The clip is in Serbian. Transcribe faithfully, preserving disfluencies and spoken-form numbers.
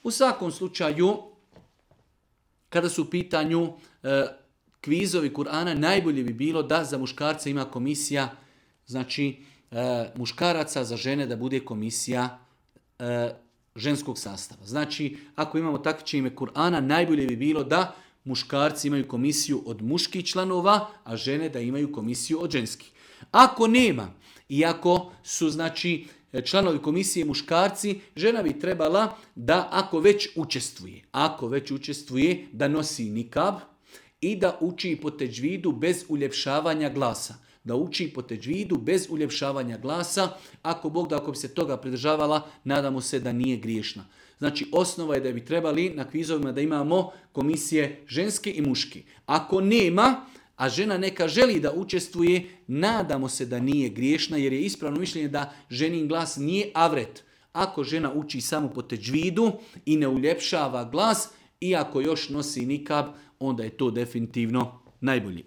U svakom slučaju, kada su u pitanju e, kvizovi Kur'ana, najbolje bi bilo da za muškarce ima komisija, znači e, muškaraca, za žene da bude komisija e, ženskog sastava. Znači, ako imamo takmičenje Kur'ana, najbolje bi bilo da muškarci imaju komisiju od muških članova, a žene da imaju komisiju od ženskih. Ako nema, iako su znači članovi komisije muškarci, žena bi trebala da ako već učestvuje, ako već učestvuje da nosi nikab i da uči po teđvidu bez uljepšavanja glasa. Da uči po teđvidu bez uljepšavanja glasa. Ako Bog da, ako bi se toga pridržavala, nadamo se da nije griješna. Znači, osnova je da bi trebali na kvizovima da imamo komisije ženske i muške. Ako nema, a žena neka želi da učestvuje, nadamo se da nije griješna, jer je ispravno mišljenje da ženin glas nije avret. Ako žena uči samo po teđvidu i ne uljepšava glas, i ako još nosi nikab, onda je to definitivno najbolji.